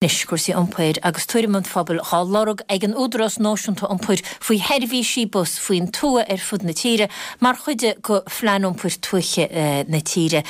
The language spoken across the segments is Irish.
Anois, cúrsaí iompair agus tuairim an phobail dhá lorg ag an Údarás Náisiúnta Iompair faoi sheirbhísí bus faoin tuath ar fud na tíre mar chuid de Phlean Iompair Tuaithe na tíre.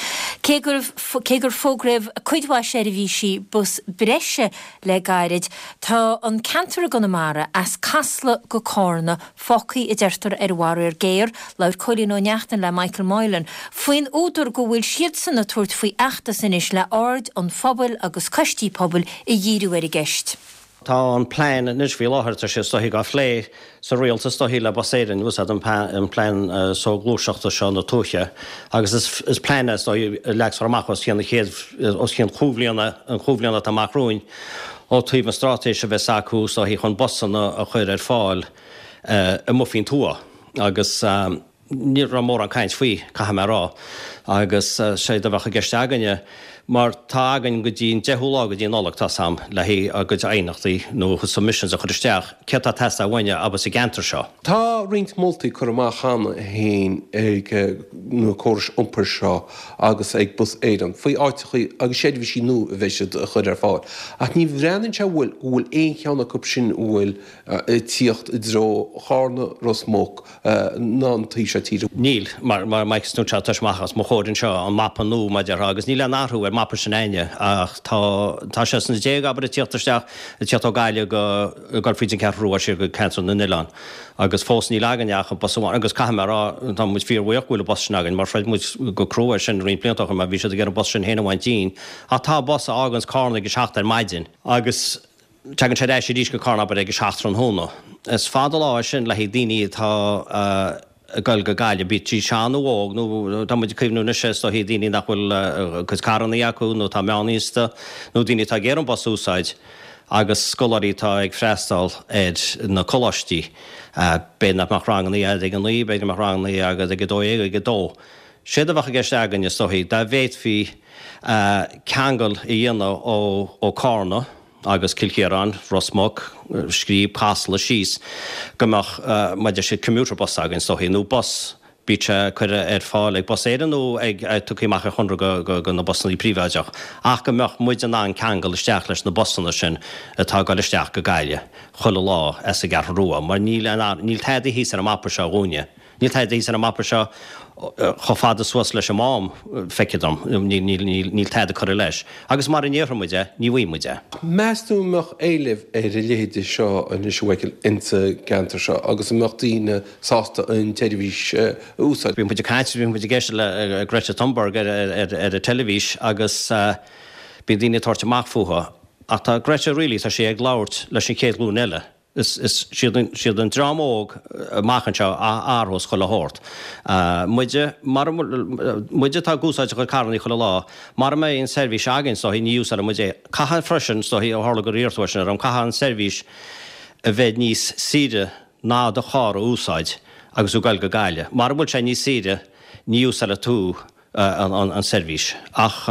Cé gur cé gur fógraíodh cuid mhaith seirbhísí bus breise le gairid, tá an ceantar i gConamara as Casla go Cárna fágtha, a deirtear, ar an bhfaraor géar. Labhair Cóilín Ó Neachtain le Michael Moylan faoin údar go bhfuil siadsan ag tabhairt faoi fheachtas anois le aird an phobail agus coistí pobail a dhíriú ar an gceist. Tá an plean anois faoi láthair, tá sé is dóichí á phlé sa rialtas is dóichí le Bus Éireann, úsáid an plean soghluaiseachta seo na tuaithe agus is plean é is dóichí a leagfar amach os cionn na chéad, os cionn chúig bhliana, an chúig bhliana atá amach romhainn ó taobh an straitéis a bheas acu is dóichí chun busanna a chur ar fáil amuigh faoin tuath agus ní raibh mórán caint faoi, caithfidh mé a rá. Agus séard a bheadh i gceist againne, mar tá againn go dtí an deichiú lá go dtí an Nollaig, tá's a'm, le haghaidh ár gcuid aighneachtaí nó submissions a chur isteach, céard atá ag teastáil uainne abhus sa gceantar seo. Tá roinnt moltaí curtha amach cheana féin ag na córais iompair seo agus ag Bus Éireann faoi áiteachaí agus seirbhísí nua a bheidh siad a chur ar fáil ach ní bhreathnaíonn sé go bhfuil go bhfuil aon cheann acu sin a bhfuil ag tíocht i dtreo Chárna, Ros Muc ná an taobh seo tíre. Níl, mar Mike is tá sé amach os mo chomhair anseo, an mapa nua mar a déarfá, agus níl aon athrú ar mapa sin a'inne ach tá, tá sé sna déag, abair, ag tíocht isteach, ag tíocht ó Gaillimh go, ag dul fríd an Cheathrú Rua siar go ceantar na nOileán agus fós níl againne ach an bus amháin agus caithfidh mé a rá, tá muid fíorbhuíoch go bhfuil an bus sin againn mar throid muid go crua air sin roinnt blianta ó shin mar bhí siad ag iarraidh an bus sin féin a bhaint dínn ach tá bus a fháganns Cárna ag a seacht ar maidin agus Tagann sé ar ais arís go Cárna abair ag a 7 tráthnóna. Is fada lá é sin le haghaidh daoine atá ag dul go Gaillimh, bíodh siad sean nó óg, nó tá muid ag cuimhniú anois is dóichí daoine nach bhfuil a gcuid carrannaí acu nó atá meánaosta nó daoine atá ag iarraidh an bus a úsáid agus scoláirí atá ag freastal ar na coláistí. B'fhéidir nach mbeadh rangannaí agat ag a naoi, b'fhéidir go mbeadh rangannaí agat ag a dó dhéag, ag a dó. Séard a bheadh i gceist againn is dóichí, dá bhféadfaí ceangal a dhéanamh ó Cárna agus Cill Chiaráin, Ros Muc, Scríb, Casla síos, go mbeadh, mar a deir siad, commuter bus againn is dóichí, nó bus, bíodh sé curtha ar fáil ag Bus Éireann nó ag, tugtha amach ar chonradh go na busannaí príobháideach, ach go mbeadh muid in ann ceangal isteach leis na busanna sin atá ag dul isteach go Gaillimh chuile lá as an gCeathrú Rua, mar níl, níl tada thíos ar an mapa seo dhúinne. Níl tada thíos ar an mapa seo chomh fada suas leis an Mám, feictear dom. Níl tada curtha leis. Agus mara n-iarrfaidh muid é, ní bhfaighidh muid é. Meas tú an mbeadh éileamh ar a leithéide seo anois a Mhichael insa gceantar seo agus an mbeadh daoine sásta an tseirbhís a úsáid? Bhí muid ag caint, bhí muid ag éisteacht le Greta Thunberg ar an teilifís agus bíonn daoine ag tabhairt amach fúthu. Ach tá Greta really, tá sí ag labhairt leis an chéad ghlúin eile. Is iad an dream óg amach anseo a athrós chuile shórt. Muide, mara, muide atá ag úsáid a gcuid carrannaí chuile lá, mara mbeidh an seirbhís againn, is dóichí, ní úsáidfidh muid é. Caithfidh freisin, is dóichí, ó tharla gur iarr tú é sin orm, caithfidh an seirbhís a bheith níos saoire ná do charr a úsáid agus tú ag goil go Gaillimh. Mara bhfuil sé níos saoire, ní úsáidfidh tú an seirbhís. Ach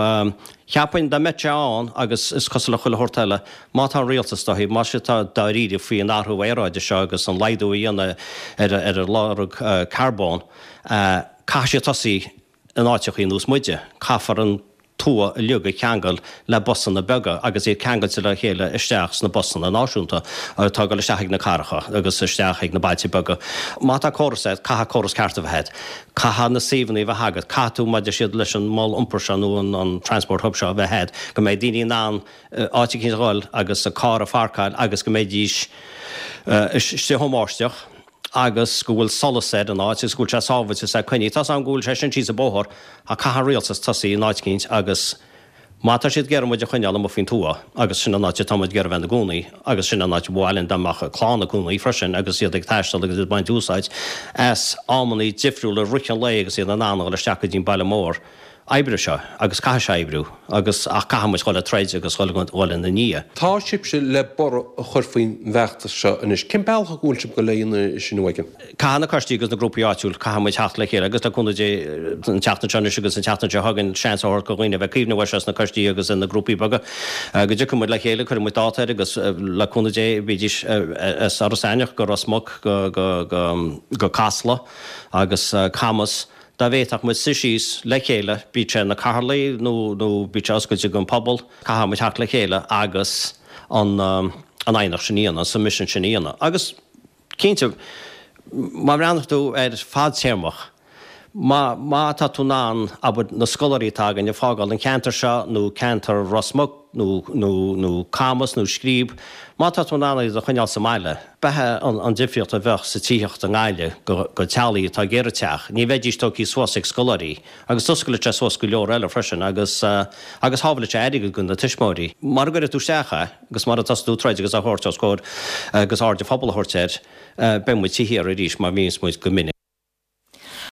cheapfainn dá mbeadh sé ann, agus is cosúil le chuile shórt eile, má tá an rialtas, dóichí, má siad tá dáiríre faoi an athrú aeráide seo agus an laghdú a dhéanamh ar ar an lorg carbóin, caithfidh siad tosaí in áiteachaí ar nós muide. Caithfear an tuath uilig a cheangal le busanna beaga agus iad ceangailte le chéile isteach sna busanna náisiúnta atá ag dul isteach ag na cathracha agus isteach ag na bailte beaga. Má tá córas agat, caithfidh córas ceart a bheith agat. Caithfidh na suíomhanna a bheith agat, caithfidh tú, mar a deir siad leis an mol iompair seo nó an transport hub seo a bheith agat, go mbeidh daoine in ann áit eicínt a dhul agus a carr a pharcáil agus go mbeidís istigh ón mbáisteach agus go bhfuil solas ar an áit agus go bhfuil sé sábhailte is é coinnithe. Tá's agam go bhfuil sé sin síos an bóthar ach caithfidh an rialtas tosaí in áit eicínt agus Má tá siad ag iarraidh muid a choinneáil amuigh faoin tuath, agus sin an áit atá muid ag iarraidh bheith ina gcónaí, agus sin an áit ba mhaith linn dá mbeadh clann ina gcónaí freisin agus iad ag taisteal agus iad ag baint úsáid as amannaí difriúla i rith an lae agus iad in ann a dhul isteach go dtí an baile mór. Oibreoidh seo, agus caithfidh sé oibriú, agus ach caithfidh muid dhul ag troid agus dhul ina ndiaidh. Tá sibhse le borradh a chur faoin bhfeachtas seo anois. Cén bealach a bhfuil sibh ag dul a dhéanamh sin, a Mhichael? Caithfidh na coistí agus na grúpaí áitiúil, caithfidh muid theacht le chéile agus le cúnamh Dé an tseachtain seo anois agus an tseachtain seo chugainn seans a thabhairt do dhaoine a bheith ag cuimhneamh air seo sna coistí agus ina grúpaí beaga go dtiocfaidh muid le chéile, cuirfidh muid dáta air agus le cúnamh Dé bídís as Iorras Aithneach go Ros Muc go go Casla agus Camas dá bhféadfadh muid suí síos le chéile, bíodh sé na cathaoirligh nó nó bíodh sé oscailte don phobal, caithfidh muid theacht le chéile agus. an an aighneacht sin a dhéanamh, an submission sin a dhéanamh. Agus cinnte, má bhreathnaíonn tú ar fadtéarmach, má má tá tú in ann, abair, na scoláirí atá againn a fágáil an cheantar seo nó ceantar Ros Muc nó nó nó Camas nó Scríb, má tá tú in ann iad a choinneáil sa mbaile, b'é an difríocht a bheadh sa tithíocht i nGaillimh go go teaghlaigh atá ag iarraidh teach, ní bheidís tógtha suas ag scoláirí agus d'oscailfeadh sé suas go leor eile freisin agus agus shábhálfadh sé airgead go na tuismitheoirí. Mara gcuirfidh tú isteach é agus mara dtosaí tú troid agus á thabhairt os comhair agus aird an phobail a thabhairt air, beidh muid sa chíor arís mar bhíonns muid go minic.